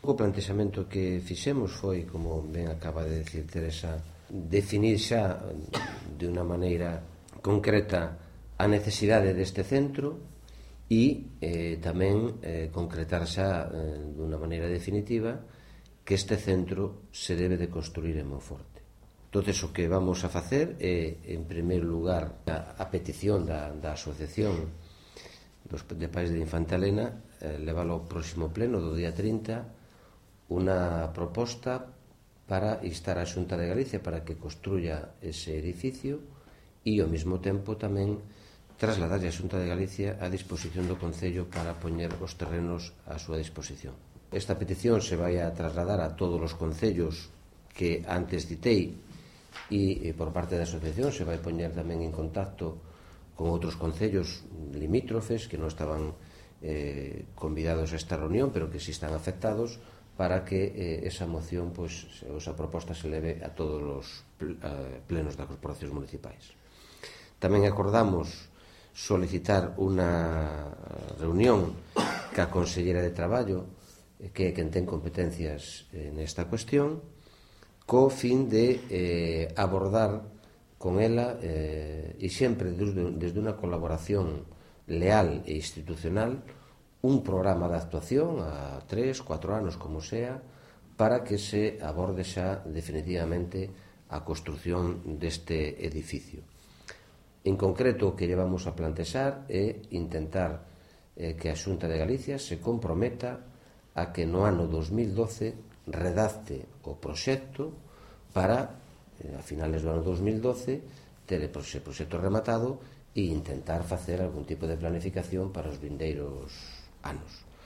O plantexamento que fixemos foi, como ben acaba de decir Teresa, definir xa de unha maneira concreta a necesidade deste centro e tamén concretar xa de unha maneira definitiva que este centro se debe de construir en Monforte. Entonces, o que vamos a facer é, en primeiro lugar, a petición da Asociación de Pais de Infanta Elena, leválo ao próximo pleno do día 30, unha proposta para instar a Xunta de Galicia para que construya ese edificio e, ao mesmo tempo, tamén trasladarlle a Xunta de Galicia a disposición do Concello para poñer os terrenos á súa disposición. Esta petición se vai a trasladar a todos os concellos que antes citei e por parte da asociación se vai poñer tamén en contacto con outros concellos limítrofes que non estaban convidados a esta reunión pero que si están afectados para que esa moción, esa proposta se leve a todos os plenos das corporacións municipais. Tamén acordamos solicitar unha reunión ca Consellera de Traballo, que é quen ten competencias nesta cuestión, co fin de abordar con ela e sempre desde unha colaboración leal e institucional un programa de actuación a 3, 4 anos, como sea, para que se aborde xa definitivamente a construción deste edificio. En concreto, o que llevamos a plantexar é intentar que a Xunta de Galicia se comprometa a que no ano 2012 redacte o proxecto para, a finales do ano 2012, ter ese proxecto rematado e intentar facer algún tipo de planificación para os vindeiros anos.